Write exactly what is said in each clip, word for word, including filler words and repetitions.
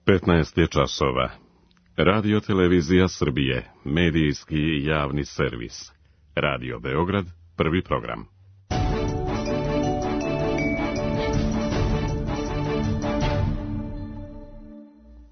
petnaest je časova. Radio Televizija Srbije, medijski i javni servis. Radio Beograd, prvi program.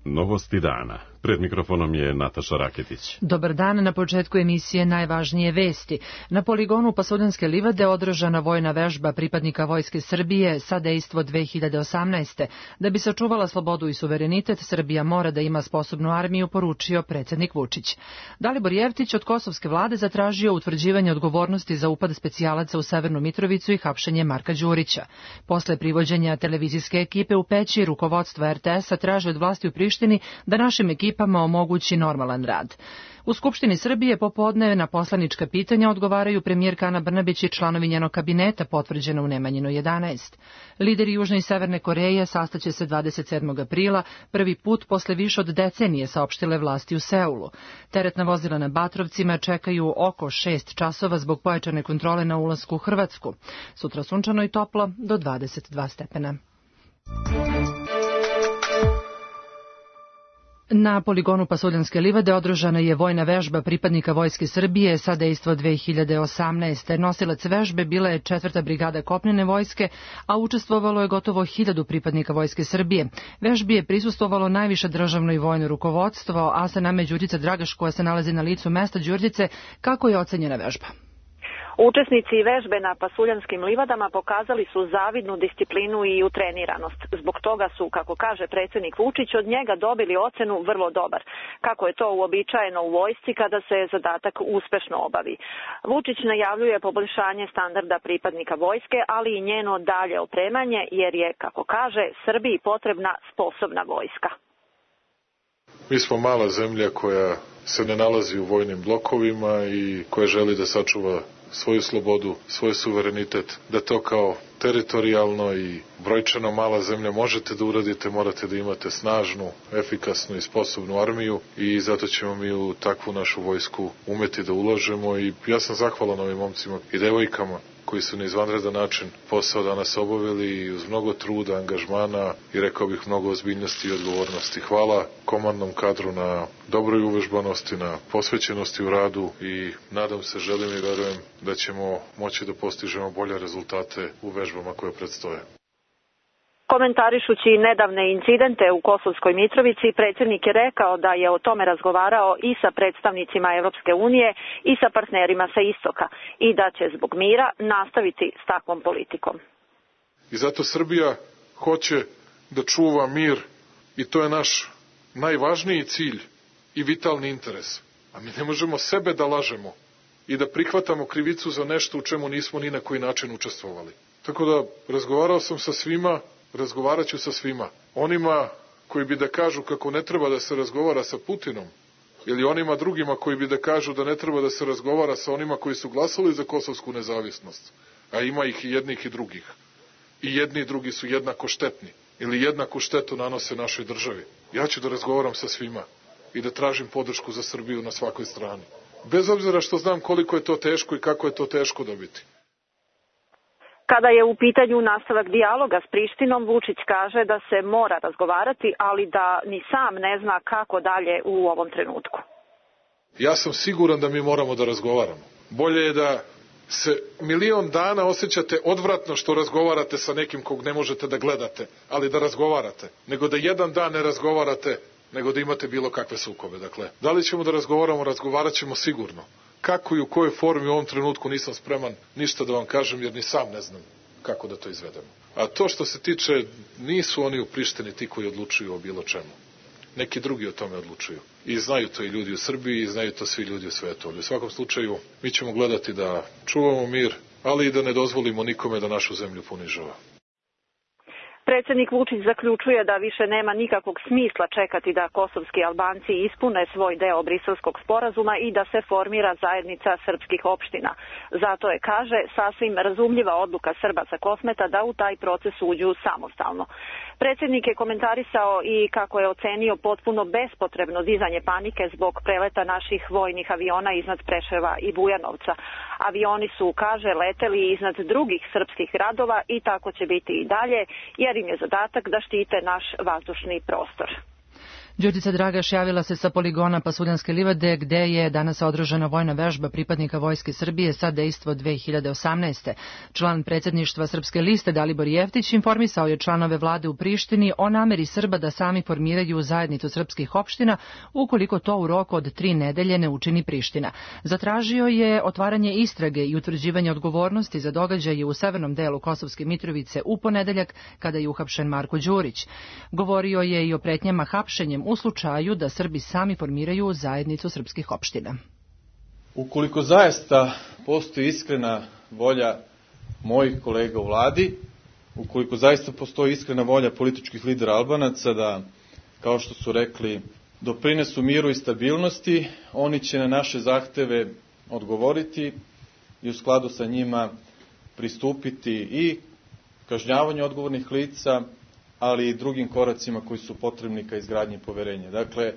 Novosti dana. Pred mikrofonom je Nataša Raketić. Dobar dan, na početku emisije najvažnije vesti. Na poligonu Pasuljanske livade održana vojna vežba pripadnika Vojske Srbije sa dejstvo dve hiljade osamnaeste. Da bi sačuvala slobodu i suverenitet, Srbija mora da ima sposobnu armiju, poručio predsjednik Vučić. Dalibor Jeftić od kosovske vlade zatražio utvrđivanje odgovornosti za upad specijalaca u Severnu Mitrovicu i hapšenje Marka Đurića. Posle privođenja televizijske ekipe u Peći, rukovodstvo er te es-a traži od vlasti u Prištini da našim ekipama omogući normalan rad. U Skupštini Srbije popodne na poslanička pitanja odgovaraju premijerka Ana Brnabić i članovi njenog kabineta, potvrđeno u Nemanjinu jedanaest. Lideri Južne i Severne Koreje sastaće se dvadeset sedmog aprila, prvi put posle više od decenije, saopštile vlasti u Seulu. Teretna vozila na Batrovcima čekaju oko šest časova zbog pojačane kontrole na ulasku u Hrvatsku. Sutra sunčano i toplo do dvadeset dva stepena. Na poligonu Pasuljanske livade održana je vojna vežba pripadnika Vojske Srbije sa dejstvo dve hiljade osamnaeste. Nosilac vežbe bila je četvrta brigada kopnene vojske, a učestvovalo je gotovo hiljadu pripadnika Vojske Srbije. Vežbi je prisustvovalo najviše državno i vojno rukovodstvo, a sa nama je Đurđica Dragaš koja se nalazi na licu mesta. Đurđice, kako je ocenjena vežba? Učesnici vežbe na Pasuljanskim livadama pokazali su zavidnu disciplinu i utreniranost. Zbog toga su, kako kaže predsjednik Vučić, od njega dobili ocenu vrlo dobar. Kako je to uobičajeno u vojsci kada se zadatak uspešno obavi. Vučić najavljuje poboljšanje standarda pripadnika vojske, ali i njeno dalje opremanje, jer je, kako kaže, Srbiji potrebna sposobna vojska. Mi smo mala zemlja koja se ne nalazi u vojnim blokovima i koja želi da sačuva svoju slobodu, svoj suverenitet, da to kao teritorijalno i brojčano mala zemlja možete da uradite, morate da imate snažnu, efikasnu i sposobnu armiju i zato ćemo mi u takvu našu vojsku umeti da ulažemo i ja sam zahvalan ovim momcima i devojkama koji su na izvanredan način posao danas obavili uz mnogo truda, angažmana i rekao bih mnogo ozbiljnosti i odgovornosti. Hvala komandnom kadru na dobroj uvežbanosti, na posvećenosti u radu i nadam se, želim i verujem da ćemo moći da postižemo bolje rezultate u vežbama koje predstoje. Komentarišući nedavne incidente u Kosovskoj Mitrovici, predsjednik je rekao da je o tome razgovarao i sa predstavnicima Evropske unije i sa partnerima sa istoka i da će zbog mira nastaviti s takvom politikom. I zato Srbija hoće da čuva mir i to je naš najvažniji cilj i vitalni interes. A mi ne možemo sebe da lažemo i da prihvatamo krivicu za nešto u čemu nismo ni na koji način učestvovali. Tako da razgovarao sam sa svima, razgovarat ću sa svima. Onima koji bi da kažu kako ne treba da se razgovara sa Putinom ili onima drugima koji bi da kažu da ne treba da se razgovara sa onima koji su glasali za kosovsku nezavisnost, a ima ih i jednih i drugih. I jedni i drugi su jednako štetni ili jednaku štetu nanose našoj državi. Ja ću da razgovaram sa svima i da tražim podršku za Srbiju na svakoj strani. Bez obzira što znam koliko je to teško i kako je to teško dobiti. Kada je u pitanju nastavak dijaloga s Prištinom, Vučić kaže da se mora razgovarati, ali da ni sam ne zna kako dalje u ovom trenutku. Ja sam siguran da mi moramo da razgovaramo. Bolje je da se milion dana osjećate odvratno što razgovarate sa nekim kog ne možete da gledate, ali da razgovarate, nego da jedan dan ne razgovarate, nego da imate bilo kakve sukobe. Dakle, da li ćemo da razgovaramo, razgovarat ćemo sigurno. Kako i u kojoj formi u ovom trenutku nisam spreman ništa da vam kažem, jer ni sam ne znam kako da to izvedemo. A to što se tiče, nisu oni u Prištini ti koji odlučuju o bilo čemu. Neki drugi o tome odlučuju. I znaju to i ljudi u Srbiji i znaju to svi ljudi u svetu. Ali u svakom slučaju mi ćemo gledati da čuvamo mir, ali i da ne dozvolimo nikome da našu zemlju ponižava. Predsjednik Vučić zaključuje da više nema nikakvog smisla čekati da kosovski Albanci ispune svoj deo Briselskog sporazuma i da se formira zajednica srpskih opština. Zato je, kaže, sasvim razumljiva odluka Srba sa Kosmeta da u taj proces uđu samostalno. Predsjednik je komentarisao i kako je ocenio potpuno bespotrebno dizanje panike zbog preleta naših vojnih aviona iznad Preševa i Bujanovca. Avioni su, kaže, leteli iznad drugih srpskih gradova i tako će biti i dalje, jer im je zadatak da štite naš vazdušni prostor. Đurđica Dragaš javila se sa poligona Pasuljanske livade gde je danas održana vojna vežba pripadnika Vojske Srbije sa dejstvo dve hiljade osamnaeste. Član predsjedništva Srpske liste Dalibor Jeftić informisao je članove vlade u Prištini o nameri Srba da sami formiraju zajednicu srpskih opština ukoliko to u roku od tri nedelje ne učini Priština. Zatražio je otvaranje istrage i utvrđivanje odgovornosti za događaje u severnom delu Kosovske Mitrovice u ponedeljak kada je uhapšen Marko Đurić. Govorio je i o pretnjama hapšenjem u slučaju da Srbi sami formiraju zajednicu srpskih opština. Ukoliko zaista postoji iskrena volja mojih kolega u vladi, ukoliko zaista postoji iskrena volja političkih lidera Albanaca da, kao što su rekli, doprinesu miru i stabilnosti, oni će na naše zahteve odgovoriti i u skladu sa njima pristupiti i kažnjavanju odgovornih lica, ali i drugim koracima koji su potrebni ka izgradnji poverenja. Dakle,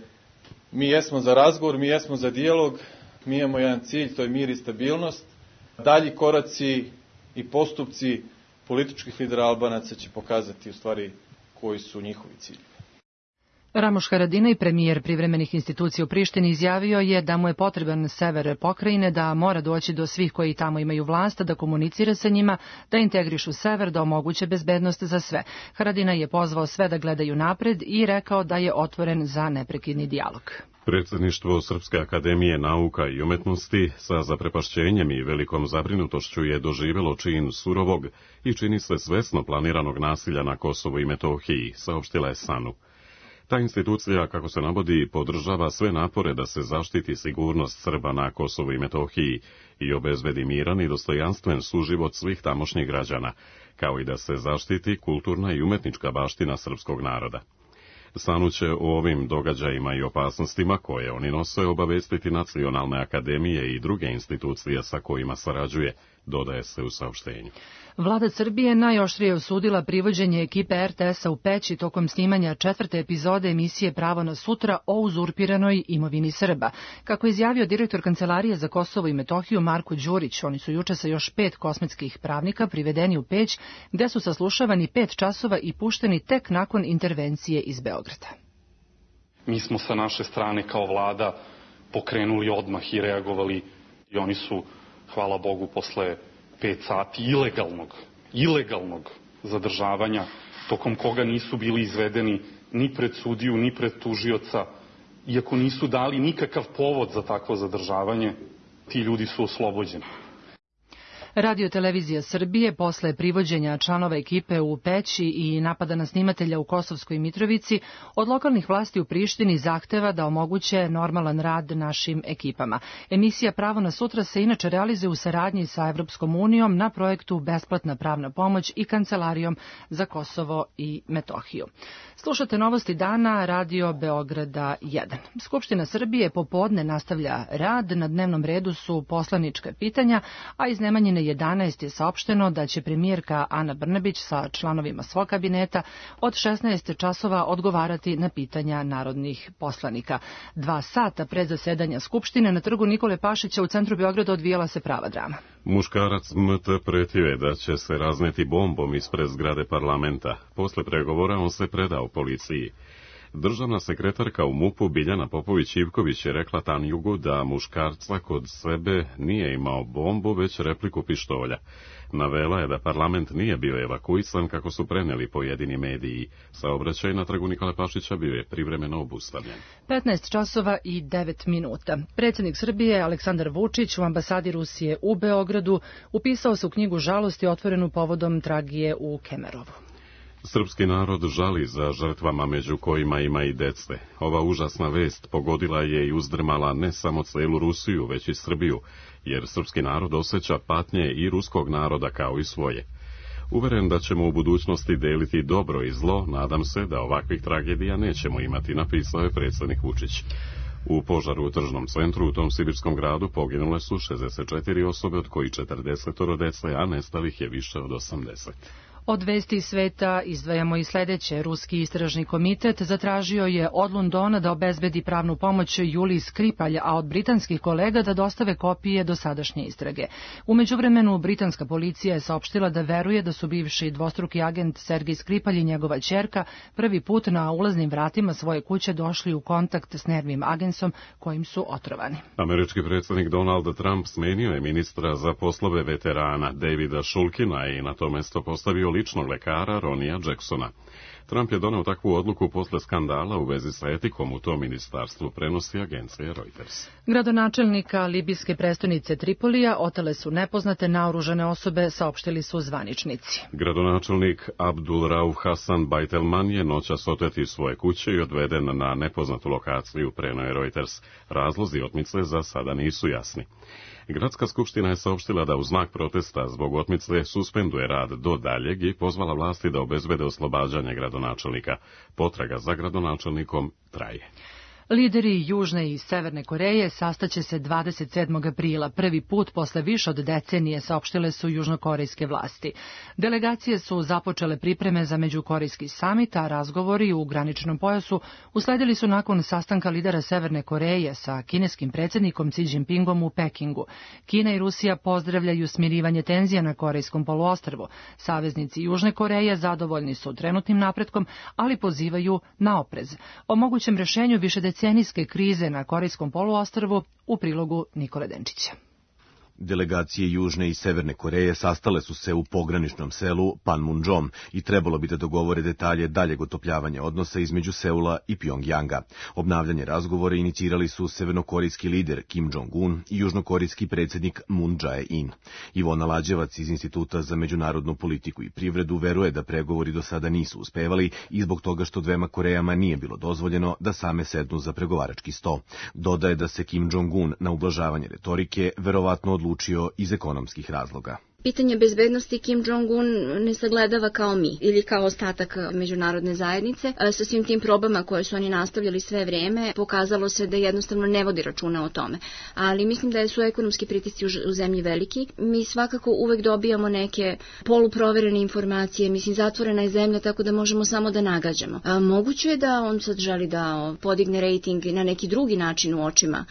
mi jesmo za razgovor, mi jesmo za dijalog, mi imamo jedan cilj, to je mir i stabilnost. Dalji koraci i postupci političkih lidera Albanaca će pokazati u stvari koji su njihovi cilji. Ramoš Haradinaj, premijer privremenih institucija u Prištini, izjavio je da mu je potreban sever pokrajine, da mora doći do svih koji tamo imaju vlast, da komunicira sa njima, da integrišu sever, da omoguće bezbednost za sve. Haradinaj je pozvao sve da gledaju napred i rekao da je otvoren za neprekidni dijalog. Predsjedništvo Srpske akademije nauka i umetnosti sa zaprepašćenjem i velikom zabrinutošću je doživjelo čin surovog i čini se svesno planiranog nasilja na Kosovu i Metohiji, saopštila je SANU. Ta institucija, kako se navodi, podržava sve napore da se zaštiti sigurnost Srba na Kosovu i Metohiji i obezbedi miran i dostojanstven suživot svih tamošnjih građana, kao i da se zaštiti kulturna i umetnička baština srpskog naroda. SANU će o ovim događajima i opasnostima koje oni nose obavestiti nacionalne akademije i druge institucije sa kojima sarađuje, dodaje se u saopštenju. Vlada Srbije najoštrije osudila privođenje ekipe er te es-a u Peći tokom snimanja četvrte epizode emisije Pravo na sutra o uzurpiranoj imovini Srba. Kako je izjavio direktor Kancelarije za Kosovo i Metohiju Marko Đurić, oni su juče sa još pet kosmetskih pravnika privedeni u Peć, gde su saslušavani pet časova i pušteni tek nakon intervencije iz Beograda. Mi smo sa naše strane kao vlada pokrenuli odmah i reagovali i oni su, hvala Bogu, posle pet sati ilegalnog, ilegalnog zadržavanja, tokom koga nisu bili izvedeni ni pred sudiju, ni pred tužioca, iako nisu dali nikakav povod za takvo zadržavanje, ti ljudi su oslobođeni. Radio televizija Srbije posle privođenja članova ekipe u Peći i napada na snimatelja u Kosovskoj Mitrovici od lokalnih vlasti u Prištini zahteva da omoguće normalan rad našim ekipama. Emisija Pravo na sutra se inače realizuje u saradnji sa Evropskom unijom na projektu Besplatna pravna pomoć i Kancelarijom za Kosovo i Metohiju. Slušate novosti dana Radio Beograda jedan. Skupština Srbije popodne nastavlja rad, na dnevnom redu su poslanička pitanja, a iz Nemanjine jedanaest je saopšteno da će premijerka Ana Brnabić sa članovima svog kabineta od šesnaest časova odgovarati na pitanja narodnih poslanika. Dva sata pred zasedanja Skupštine na trgu Nikole Pašića u centru Beograda odvijala se prava drama. Muškarac M T pretio je da će se razneti bombom ispred zgrade parlamenta. Posle pregovora on se predao policiji. Državna sekretarka u MUP-u Biljana Popović-Ivković je rekla Tanjugu da muškarca kod sebe nije imao bombu, već repliku pištolja. Navela je da parlament nije bio evakuisan kako su preneli pojedini mediji. Saobraćaj na trgu Nikole Pašića bio je privremeno obustavljen. petnaest časova i devet minuta. Predsjednik Srbije Aleksandar Vučić u ambasadi Rusije u Beogradu upisao se u knjigu žalosti otvorenu povodom tragedije u Kemerovu. Srpski narod žali za žrtvama među kojima ima i dece. Ova užasna vest pogodila je i uzdrmala ne samo celu Rusiju, već i Srbiju, jer srpski narod osjeća patnje i ruskog naroda kao i svoje. Uveren da ćemo u budućnosti deliti dobro i zlo, nadam se da ovakvih tragedija nećemo imati, napisao je predsjednik Vučić. U požaru u tržnom centru u tom sibirskom gradu poginule su šezdeset četiri osobe, od kojih četrdeset dece, a nestalih je više od osamdeset. Od vesti sveta izdvajamo i sledeće. Ruski istražni komitet zatražio je od Londona da obezbedi pravnu pomoć Juliji Skripalj, a od britanskih kolega da dostave kopije dosadašnje istrage. U međuvremenu, britanska policija je saopštila da veruje da su bivši dvostruki agent Sergej Skripalj i njegova ćerka prvi put na ulaznim vratima svoje kuće došli u kontakt s nervnim agensom kojim su otrovani. Američki predsjednik Donald Trump smenio je ministra za poslove veterana Davida Shulkina i na to mesto postavio ličnog lekara Ronija Jacksona. Trump je doneo takvu odluku posle skandala u vezi sa etikom u tom ministarstvu, prenosi agencija Reuters. Gradonačelnika libijske prestonice Tripolija otele su nepoznate naoružane osobe, saopštili su zvaničnici. Gradonačelnik Abdul Rauf Hasan Baitelman je noćas otet iz svoje kuće i odveden na nepoznatu lokaciju, preneo je Reuters. Razlozi otmice za sada nisu jasni. Gradska skupština je saopštila da u znak protesta zbog otmice suspenduje rad do daljeg i pozvala vlasti da obezbede oslobađanje gradonačelnika. Potraga za gradonačelnikom traje. Lideri Južne i Severne Koreje sastaće se dvadeset sedmog aprila, prvi put posle više od decenije, saopštile su južnokorejske vlasti. Delegacije su započele pripreme za međukorejski samit, a razgovori u graničnom pojasu usledili su nakon sastanka lidera Severne Koreje sa kineskim predsjednikom Xi Jinpingom u Pekingu. Kina i Rusija pozdravljaju smirivanje tenzija na Korejskom poluostrvu. Saveznici Južne Koreje zadovoljni su trenutnim napretkom, ali pozivaju na oprez. O mogućem rešenju više decenijske krize na Korejskom poluostrvu u prilogu Nikole Denčića. Delegacije Južne i Severne Koreje sastale su se u pograničnom selu Panmunjom i trebalo bi da dogovore detalje daljeg otopljavanja odnosa između Seula i Pjongjanga. Obnavljanje razgovora inicirali su severnokorejski lider Kim Jong-un i južnokorejski predsjednik Moon Jae-in. Ivona Lađevac iz Instituta za međunarodnu politiku i privredu veruje da pregovori do sada nisu uspevali i zbog toga što dvema Korejama nije bilo dozvoljeno da same sednu za pregovarački sto. Dodaje da se Kim Jong-un na ublažavanje retorike verovatno odlučio iz ekonomskih razloga. Pitanje bezbednosti Kim Jong-un ne sagledava kao mi ili kao ostatak međunarodne zajednice. Sa svim tim probama koje su oni nastavljali sve vreme, pokazalo se da jednostavno ne vodi računa o tome. Ali mislim da su ekonomski pritisci u zemlji veliki. Mi svakako uvek dobijamo neke poluproverene informacije. Mislim, zatvorena je zemlja, tako da možemo samo da nagađamo. A moguće je da on sad želi da podigne rejting na neki drugi način u očima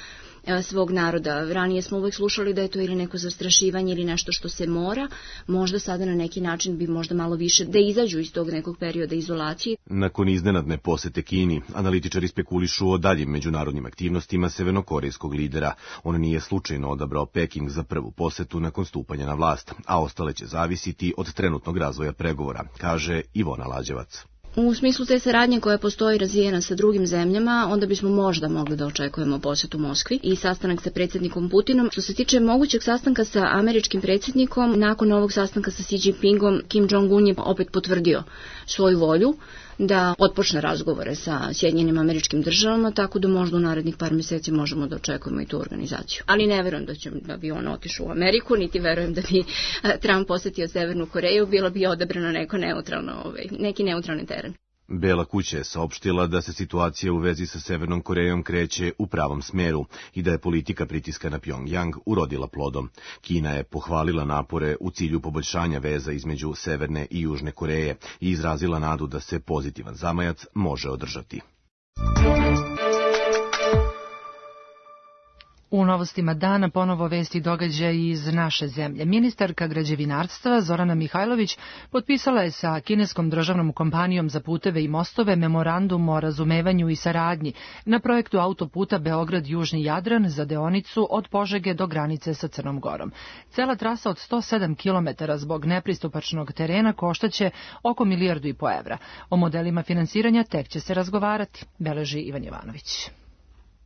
svog naroda. Ranije smo uvek slušali da je to ili neko zastrašivanje ili nešto što se mora. Možda sada na neki način bi možda malo više da izađu iz tog nekog perioda izolacije. Nakon iznenadne posete Kini, analitičari spekulišu o daljim međunarodnim aktivnostima severnokorejskog lidera. On nije slučajno odabrao Peking za prvu posetu nakon stupanja na vlast, a ostale će zavisiti od trenutnog razvoja pregovora, kaže Ivona Lađevac. U smislu te saradnje koja postoji razvijena sa drugim zemljama, onda bismo možda mogli da očekujemo posjetu Moskvi i sastanak sa predsjednikom Putinom. Što se tiče mogućeg sastanka sa američkim predsjednikom, nakon ovog sastanka sa Xi Jinpingom, Kim Jong-un je opet potvrdio svoju volju da otpočne razgovore sa Sjedinjenim Američkim Državama, tako da možda u narednih par mjeseci možemo da očekujemo i tu organizaciju. Ali ne verujem da će da bi on otišao u Ameriku, niti verujem da bi Trump posjetio Severnu Koreju, bilo bi odabrano neko neutralno, ovaj, neki neutralni teren. Bela kuća je saopštila da se situacija u vezi sa Severnom Korejom kreće u pravom smeru i da je politika pritiska na Pjongjang urodila plodom. Kina je pohvalila napore u cilju poboljšanja veza između Severne i Južne Koreje i izrazila nadu da se pozitivan zamajac može održati. U novostima dana ponovo vesti događaj iz naše zemlje. Ministarka građevinarstva Zorana Mihajlović potpisala je sa kineskom državnom kompanijom za puteve i mostove memorandum o razumevanju i saradnji na projektu autoputa Beograd-Južni Jadran za deonicu od Požege do granice sa Crnom Gorom. Cela trasa od sto sedam kilometara zbog nepristupačnog terena koštaće oko milijardu i po evra. O modelima finansiranja tek će se razgovarati, beleži Ivan Jovanović.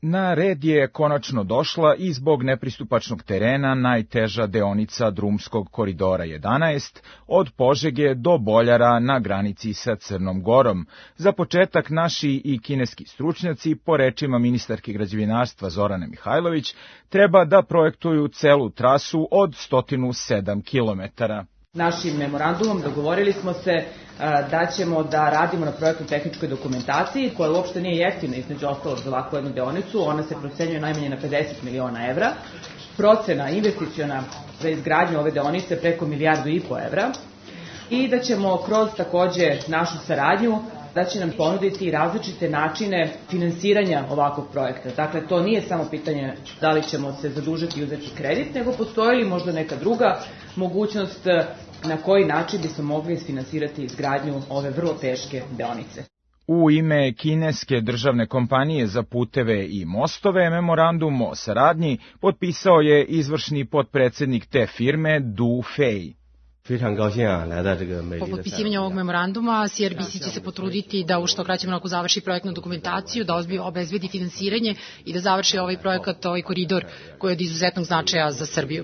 Na red je konačno došla i zbog nepristupačnog terena najteža deonica drumskog koridora jedanaest od Požege do Boljara na granici sa Crnom Gorom. Za početak naši i kineski stručnjaci, po rečima ministarke građevinarstva Zorane Mihajlović, treba da projektuju celu trasu od sto sedam kilometara. Našim memorandumom dogovorili smo se da ćemo da radimo na projektno tehničkoj dokumentaciji, koja uopšte nije jeftina između ostalog za ovakvu jednu deonicu. Ona se procenjuje najmanje na pedeset miliona evra. Procena investiciona za izgradnju ove deonice preko milijardu i po evra. i da ćemo kroz takođe našu saradnju da će nam ponuditi različite načine finansiranja ovakvog projekta. Dakle, to nije samo pitanje da li ćemo se zadužiti i uzeti kredit, nego postoji li možda neka druga mogućnost na koji način bismo mogli isfinansirati izgradnju ove vrlo teške deonice. U ime kineske državne kompanije za puteve i mostove memorandum o saradnji potpisao je izvršni potpredsednik te firme Du Fei. Po potpisivanju ovog memoranduma C R B C će se potruditi da u što kraćem roku završi projektnu dokumentaciju, da obezbedi finansiranje i da završi ovaj projekat, ovaj koridor koji je od izuzetnog značaja za Srbiju.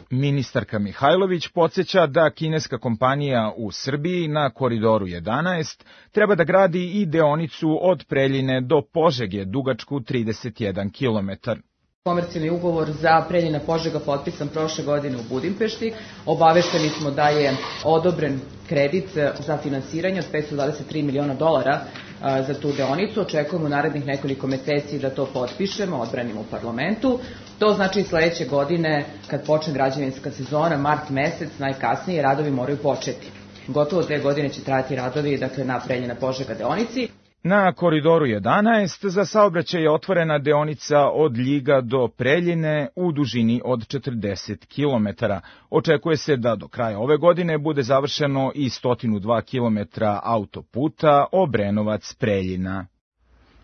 Ministarka Mihajlović podsjeća da kineska kompanija u Srbiji na Koridoru jedanaest treba da gradi i deonicu od Preljine do Požege dugačku trideset jedan kilometar. Komercijalni ugovor za Preljina Požega potpisan prošle godine u Budimpešti. Obavešteni smo da je odobren kredit za finansiranje od petsto dvadeset tri miliona dolara za tu deonicu. Očekujemo u narednih nekoliko meseci da to potpišemo, odbranimo u parlamentu. To znači sledeće godine, kad počne građevinska sezona, mart mesec, najkasnije, radovi moraju početi. Gotovo dve godine će trajati radovi, dakle, na Preljina Požega deonici. Na Koridoru jedanaest za saobraćaj je otvorena deonica od Ljiga do Preljine u dužini od četrdeset kilometara. Očekuje se da do kraja ove godine bude završeno i sto dva kilometra autoputa Obrenovac-Preljina.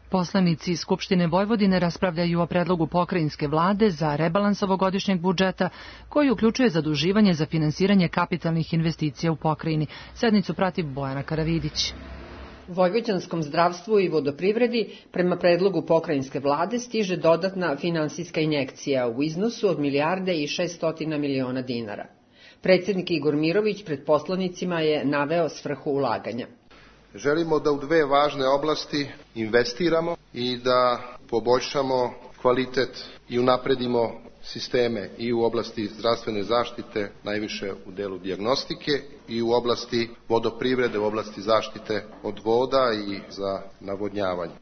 Poslanici Skupštine Vojvodine raspravljaju o predlogu pokrajinske vlade za rebalans ovogodišnjeg budžeta koji uključuje zaduživanje za finansiranje kapitalnih investicija u pokrajini. Sednicu prati Bojana Karavidić. U vojvođanskom zdravstvu i vodoprivredi prema predlogu pokrajinske vlade stiže dodatna finansijska injekcija u iznosu od milijarde i šeststotina miliona dinara. Predsjednik Igor Mirović pred poslanicima je naveo svrhu ulaganja. Želimo da u dve važne oblasti investiramo i da poboljšamo kvalitet i unapredimo sisteme i u oblasti zdravstvene zaštite, najviše u delu dijagnostike, i u oblasti vodoprivrede, u oblasti zaštite od voda i za navodnjavanje.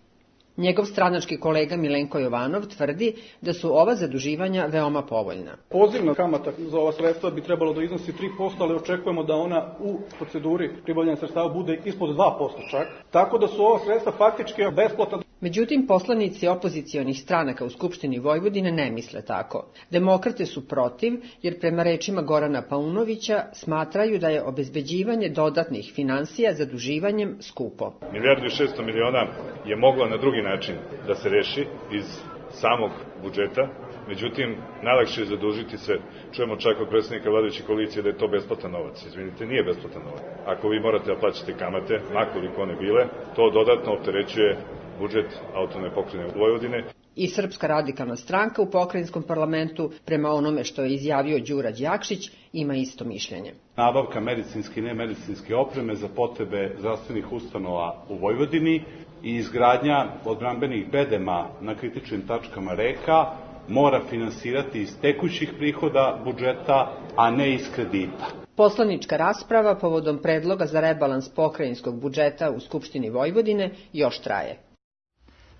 Njegov stranački kolega Milenko Jovanov tvrdi da su ova zaduživanja veoma povoljna. Pozivna kamata za ova sredstva bi trebalo da iznosi tri posto, ali očekujemo da ona u proceduri pribavljanja sredstava bude ispod dva posto čak, tako da su ova sredstva faktički besplatna. Međutim, poslanici opozicionih stranaka u Skupštini Vojvodine ne misle tako. Demokrate su protiv, jer prema rečima Gorana Paunovića smatraju da je obezbeđivanje dodatnih finansija zaduživanjem skupo. Milijardu i šesto miliona je moglo na drugi način da se reši iz samog budžeta, međutim, najlakše je zadužiti sve. Čujemo čak od predsjednika vladajuće koalicije da je to besplatan novac. Izvinite, nije besplatan novac. Ako vi morate da plaćate kamate, makoliko one bile, to dodatno opterećuje budžet autonomne pokrajine Vojvodine. I Srpska radikalna stranka u pokrajinskom parlamentu, prema onome što je izjavio Đura Đakšić, ima isto mišljenje. Nabavka medicinske i nemedicinske opreme za potrebe zdravstvenih ustanova u Vojvodini i izgradnja odbrambenih bedema na kritičnim tačkama reka mora finansirati iz tekućih prihoda budžeta, a ne iz kredita. Poslanička rasprava povodom predloga za rebalans pokrajinskog budžeta u Skupštini Vojvodine još traje.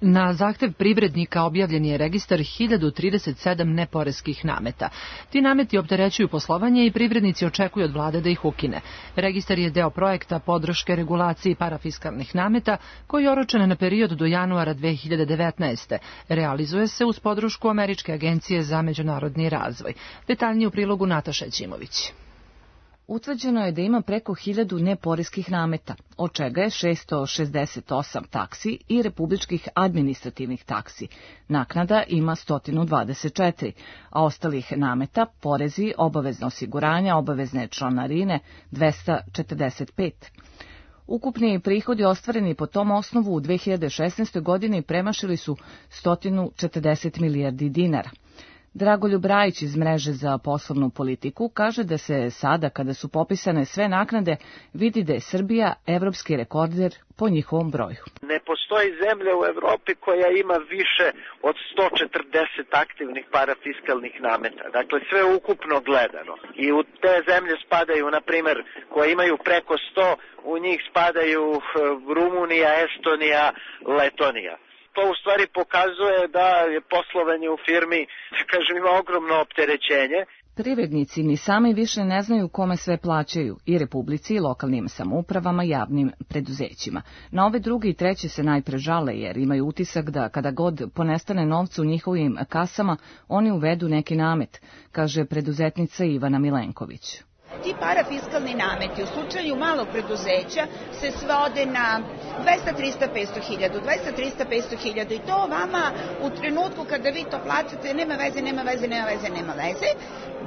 Na zahtev privrednika objavljen je registar hiljadu trideset sedam neporeskih nameta. Ti nameti opterećuju poslovanje i privrednici očekuju od vlade da ih ukine. Registar je deo projekta podrške regulaciji parafiskalnih nameta koji je oročen na period do januara dve hiljade devetnaeste. Realizuje se uz podršku Američke agencije za međunarodni razvoj. Detaljnije u prilogu Nataša Ćimović. Utvrđeno je da ima preko hiljadu neporeskih nameta, od čega je šesto šezdeset osam taksi i republičkih administrativnih taksi. Naknada ima sto dvadeset četiri, a ostalih nameta, porezi, obavezna osiguranja, obavezne članarine dvesta četrdeset pet. Ukupni prihodi ostvareni po tom osnovu u dve hiljade šesnaestoj. godini premašili su sto četrdeset milijardi dinara. Dragoljub Rajić iz Mreže za poslovnu politiku kaže da se sada, kada su popisane sve naknade, vidi da je Srbija evropski rekorder po njihovom broju. Ne postoji zemlja u Evropi koja ima više od sto četrdeset aktivnih parafiskalnih nameta. Dakle, sve ukupno gledano. I u te zemlje spadaju, na primer, koje imaju preko sto, u njih spadaju Rumunija, Estonija, Letonija. To u stvari pokazuje da je poslovanje u firmi, kažem, ima ogromno opterećenje. Privrednici ni sami više ne znaju kome sve plaćaju, i Republici, i lokalnim samoupravama, javnim preduzećima. Na ove druge i treće se najpre žale jer imaju utisak da kada god ponestane novca u njihovim kasama, oni uvedu neki namet, kaže preduzetnica Ivana Milenković. Ti parafiskalni nameti u slučaju malog preduzeća se svode na dvesta, trista, petsto hiljada, dvesta, trista, petsto hiljada i to vama u trenutku kada vi to plaćate nema veze, nema veze, nema veze, nema veze,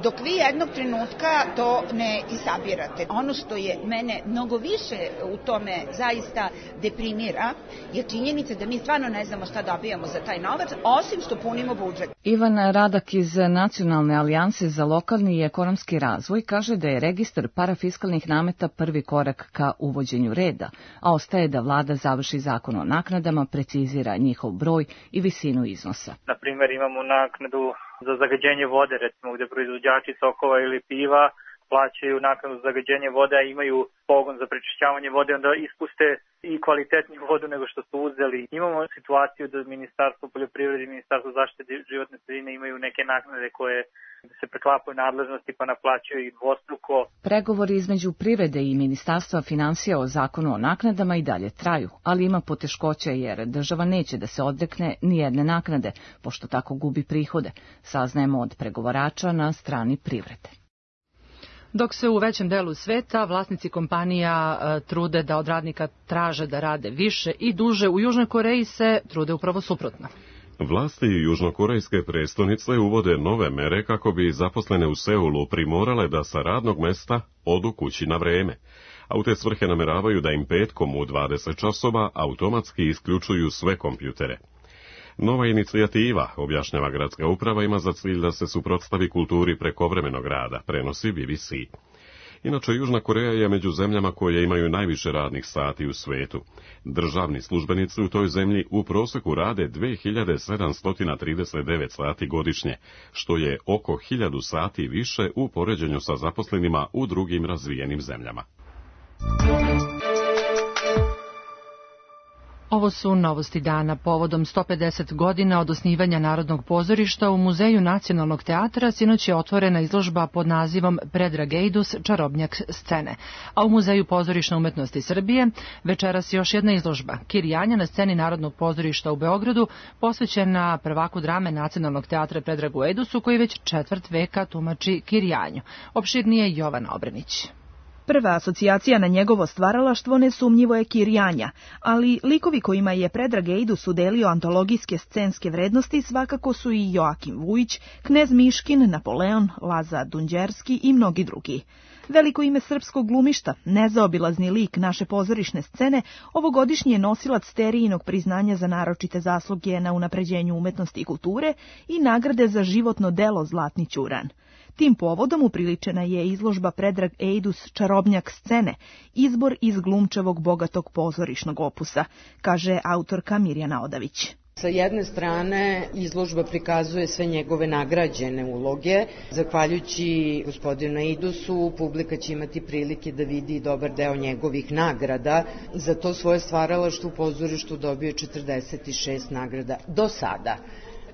dok vi jednog trenutka to ne isabirate. Ono što je mene mnogo više u tome zaista deprimira je činjenica da mi stvarno ne znamo šta dobijamo za taj novac, osim što punimo budžet. Ivan Radak iz Nacionalne alijanse za lokalni i ekonomski razvoj kaže da je registar parafiskalnih nameta prvi korak ka uvođenju reda, a ostaje da vlada završi zakon o naknadama, precizira njihov broj i visinu iznosa. Na primjer, imamo naknadu za zagađenje vode, recimo gde proizvođači sokova ili piva plaćaju naknadu za zagađenje vode, a imaju pogon za prečišćavanje vode, onda ispuste i kvalitetniju vodu nego što su uzeli. Imamo situaciju da Ministarstvo poljoprivrede i Ministarstvo zaštite životne sredine imaju neke naknade koje se preklapaju nadležnosti pa naplaćuju ih dvostruko. Pregovori između privrede i Ministarstva finansija o zakonu o naknadama i dalje traju, ali ima poteškoća jer država neće da se odrekne ni jedne naknade, pošto tako gubi prihode, saznajemo od pregovarača na strani privrede. Dok se u većem delu sveta vlasnici kompanija e, trude da od radnika traže da rade više i duže, u Južnoj Koreji se trude upravo suprotno. Vlasti južnokorejske prestonice uvode nove mere kako bi zaposlene u Seulu primorale da sa radnog mesta odu kući na vreme, a u te svrhe nameravaju da im petkom u dvadeset časova automatski isključuju sve kompjutere. Nova inicijativa, objašnjava gradska uprava, ima za cilj da se suprotstavi kulturi prekovremenog rada, prenosi B B C. Inače, Južna Koreja je među zemljama koje imaju najviše radnih sati u svetu. Državni službenici u toj zemlji u proseku rade dve hiljade sedamsto trideset devet sati godišnje, što je oko hiljadu sati više u poređenju sa zaposlenima u drugim razvijenim zemljama. Ovo su novosti dana. Povodom sto pedeset godina od osnivanja Narodnog pozorišta u Muzeju Nacionalnog teatra sinoć je otvorena izložba pod nazivom Predrag Ejdus, čarobnjak scene. A u Muzeju pozorišne umetnosti Srbije večeras još jedna izložba, Kirjanja na sceni Narodnog pozorišta u Beogradu, posvećena prvaku drame Nacionalnog teatra Predragu Ejdusu, koji već četvrt veka tumači Kirjanju. Opširnije Jovana Obrenić. Prva asocijacija na njegovo stvaralaštvo nesumnjivo je Kirjanja, ali likovi kojima je Predrag Ejdus udelio antologijske scenske vrednosti svakako su i Joakim Vujić, Knez Miškin, Napoleon, Laza Dunđerski i mnogi drugi. Veliko ime srpskog glumišta, nezaobilazni lik naše pozorišne scene, ovogodišnji je nosilac Sterijinog priznanja za naročite zasluge na unapređenju umetnosti i kulture i nagrade za životno delo Zlatni ćuran. Tim povodom upriličena je izložba Predrag Ejdus, čarobnjak scene, izbor iz glumčevog bogatog pozorišnog opusa, kaže autorka Mirjana Odavić. Sa jedne strane, izložba prikazuje sve njegove nagrađene uloge. Zahvaljujući gospodinu Ejdusu, publika će imati prilike da vidi dobar deo njegovih nagrada. Za to svoje stvaralaštvo u pozorištu dobio četrdeset šest nagrada do sada.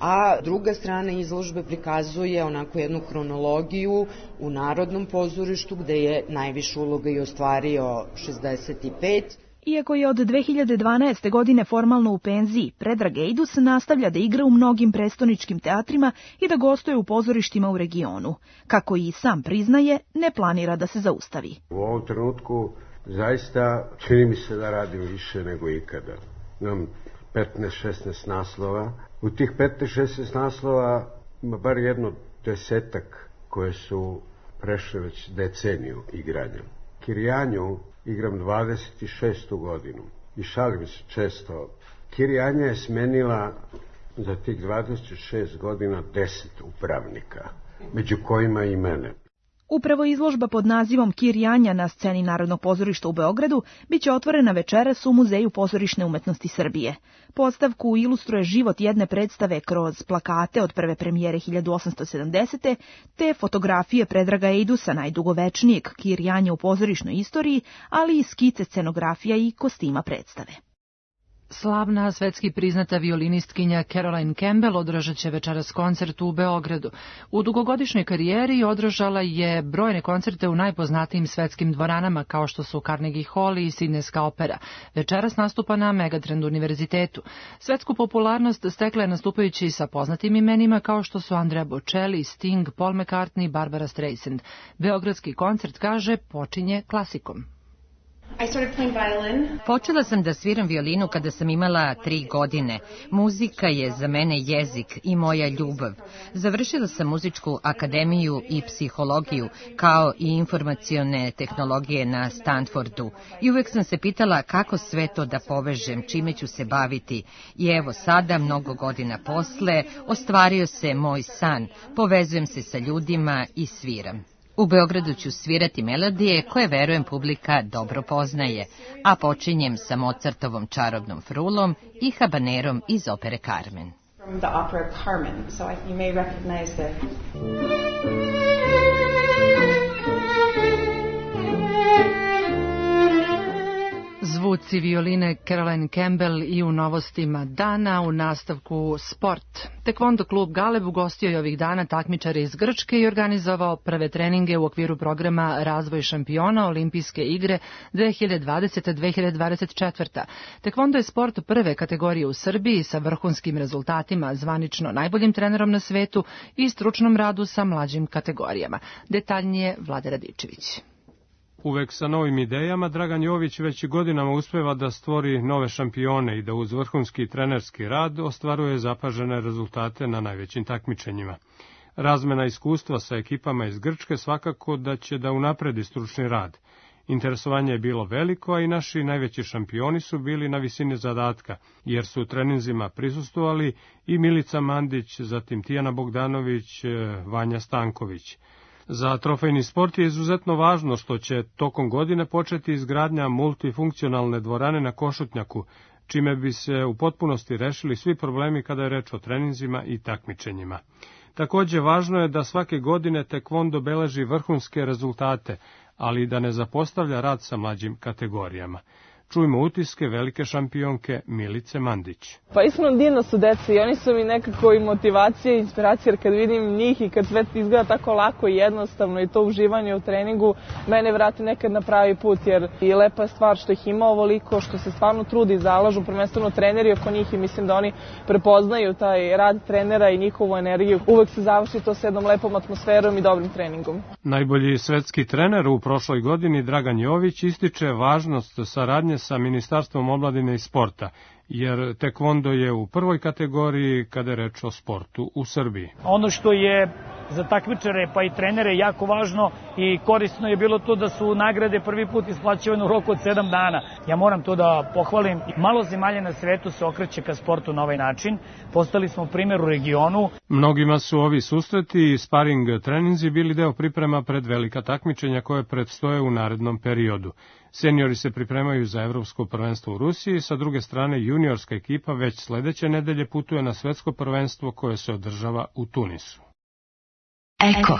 A druga strana izložbe prikazuje onako jednu hronologiju u Narodnom pozorištu, gde je najviše uloga i ostvario šezdeset pet. Iako je od dve hiljade dvanaeste. godine formalno u penziji, Predrag Ejdus nastavlja da igra u mnogim prestoničkim teatrima i da gostuje u pozorištima u regionu. Kako i sam priznaje, ne planira da se zaustavi. U ovom trenutku zaista čini mi se da radim više nego ikada. Imam petnaest šesnaest naslova. U tih petnaest šesnaest naslova ima bar jedno desetak koje su prešle već deceniju igranja. Kirjanju igram dvadeset šestu godinu i šalim se često. Kirjanja je smenila za tih dvadeset šest godina deset upravnika, među kojima i mene. Upravo izložba pod nazivom Kirjanja na sceni Narodnog pozorišta u Beogradu biće otvorena večeras u Muzeju pozorišne umetnosti Srbije. Postavku ilustruje život jedne predstave kroz plakate od prve premijere hiljadu osamsto sedamdesete. te fotografije Predraga Ejdusa, najdugovečnijeg Kirjanja u pozorišnoj istoriji, ali i skice scenografija i kostima predstave. Slavna, svetski priznata violinistkinja Caroline Campbell održat će večeras koncert u Beogradu. U dugogodišnjoj karijeri održala je brojne koncerte u najpoznatijim svetskim dvoranama kao što su Carnegie Hall i Sidnejska opera. Večeras nastupa na Megatrend univerzitetu. Svetsku popularnost stekla je nastupajući sa poznatim imenima kao što su Andrea Bocelli, Sting, Paul McCartney, Barbara Streisand. Beogradski koncert, kaže, počinje klasikom. Počela sam da sviram violinu kada sam imala tri godine. Muzika je za mene jezik i moja ljubav. Završila sam muzičku akademiju i psihologiju, kao i informacione tehnologije na Stanfordu. I uvek sam se pitala kako sve to da povežem, čime ću se baviti. I evo sada, mnogo godina posle, ostvario se moj san. Povezujem se sa ljudima i sviram. U Beogradu ću svirati melodije koje, verujem, publika dobro poznaje, a počinjem sa Mozartovom Čarobnom frulom i habanerom iz opere Carmen. Zvuci violine Caroline Campbell i u novostima dana, u nastavku sport. Tekvondo klub Galeb ugostio je ovih dana takmičare iz Grčke i organizovao prve treninge u okviru programa Razvoj šampiona Olimpijske igre dve hiljade dvadesete do dve hiljade dvadeset četvrte. Tekvondo je sport prve kategorije u Srbiji sa vrhunskim rezultatima, zvanično najboljim trenerom na svetu i stručnom radu sa mlađim kategorijama. Detaljnije Vlade Radičević. Uvek sa novim idejama, Dragan Jović već godinama uspeva da stvori nove šampione i da uz vrhunski trenerski rad ostvaruje zapažene rezultate na najvećim takmičenjima. Razmena iskustva sa ekipama iz Grčke svakako da će da unapredi stručni rad. Interesovanje je bilo veliko, a i naši najveći šampioni su bili na visini zadatka, jer su u treninzima prisustvovali i Milica Mandić, zatim Tijana Bogdanović, Vanja Stanković. Za trofejni sport je izuzetno važno što će tokom godine početi izgradnja multifunkcionalne dvorane na Košutnjaku, čime bi se u potpunosti rešili svi problemi kada je reč o treninzima i takmičenjima. Takođe, važno je da svake godine tekvondo beleži vrhunske rezultate, ali da ne zapostavlja rad sa mlađim kategorijama. Čujmo utiske velike šampionke Milice Mandić. Pa iskreno divno su deca i oni su mi nekako i motivacija i inspiracija, jer kad vidim njih i kad sve izgleda tako lako i jednostavno i to uživanje u treningu, mene vrati nekad na pravi put, jer i lepa stvar što ih ima ovoliko, što se stvarno trudi i zalažu, prvenstveno treneri oko njih i mislim da oni prepoznaju taj rad trenera i njihovu energiju. Uvek se završi to s jednom lepom atmosferom i dobrim treningom. Najbolji svetski trener u prošloj godini, Dragan Jović, ističe važnost saradnje sa Ministarstvom omladine i sporta, jer tekvondo je u prvoj kategoriji kada je reč o sportu u Srbiji. Ono što je za takmičare pa i trenere jako važno i korisno je bilo to da su nagrade prvi put isplaćivane u roku od sedam dana. Ja moram to da pohvalim. Malo zemalja na svetu se okreće ka sportu na ovaj način. Postali smo primjer u regionu. Mnogima su ovi susreti i sparing treninzi bili deo priprema pred velika takmičenja koje predstoje u narednom periodu. Seniori se pripremaju za evropsko prvenstvo u Rusiji, sa druge strane juniorska ekipa već sledeće nedelje putuje na svetsko prvenstvo koje se održava u Tunisu. Eko.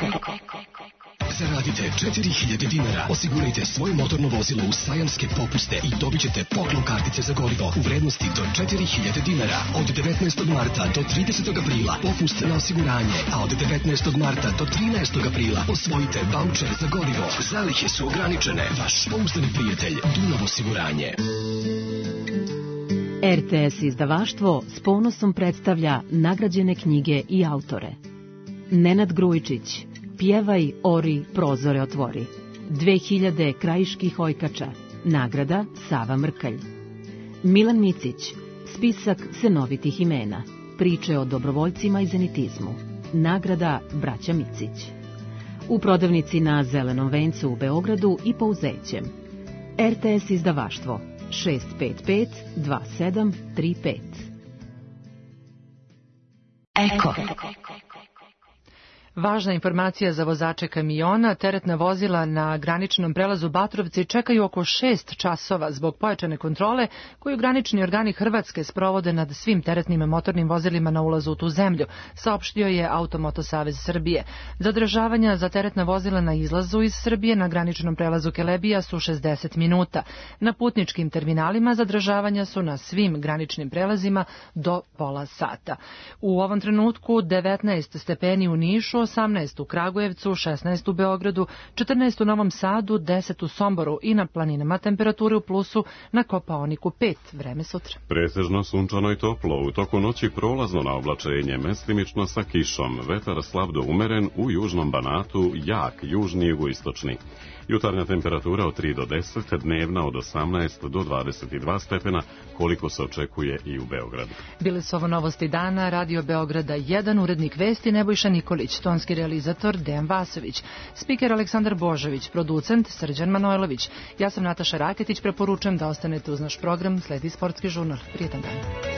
Zaradite četiri hiljade dinara, osigurajte svoje motorno vozilo u sajamske popuste i dobit ćete poklon kartice za gorivo u vrednosti do četiri hiljade dinara. Od devetnaestog marta do tridesetog aprila popust na osiguranje, a od devetnaestog marta do trinaestog aprila osvojite vaučer za gorivo. Zalihe su ograničene. Vaš pouzdani prijatelj Dunav osiguranje. R T S izdavaštvo s ponosom predstavlja nagrađene knjige i autore. Nenad Grujičić, Pjevaj, ori, prozore otvori. dve hiljade krajiških ojkača. Nagrada Sava Mrkalj. Milan Micić, Spisak senovitih imena. Priče o dobrovoljcima i zenitizmu. Nagrada Braća Micić. U prodavnici na Zelenom vencu u Beogradu i po Uzećem. R T S izdavaštvo šest pet pet dva sedam tri pet. Eko. Važna informacija za vozače kamiona, teretna vozila na graničnom prelazu Batrovci čekaju oko šest časova zbog pojačane kontrole koju granični organi Hrvatske sprovode nad svim teretnim motornim vozilima na ulazu u tu zemlju, saopštio je Automoto Savez Srbije. Zadržavanja za teretna vozila na izlazu iz Srbije na graničnom prelazu Kelebija su šezdeset minuta. Na putničkim terminalima zadržavanja su na svim graničnim prelazima do pola sata. U ovom trenutku devetnaest stepeni u Nišu, osamnaest u Kragujevcu, šesnaest u Beogradu, četrnaest u Novom Sadu, deset u Somboru i na planinama temperature u plusu, na Kopaoniku pet. Vreme sutra. Pretežno sunčano i toplo, u toku noći prolazno na oblačenje, mestimično sa kišom, vetar slab do umeren, u južnom Banatu jak, južni i jugoistočni. Jutarnja temperatura od tri do deset, dnevna od osamnaest do dvadeset dva stepena, koliko se očekuje i u Beogradu. Bile su ovo novosti dana, Radio Beograda jedan, urednik vesti Nebojša Nikolić, tonski realizator Dejan Vasović, spiker Aleksandar Božović, producent Srđan Manojlović. Ja sam Nataša Raketić, preporučujem da ostanete uz naš program, sledi sportski žurnal. Prijetan dan.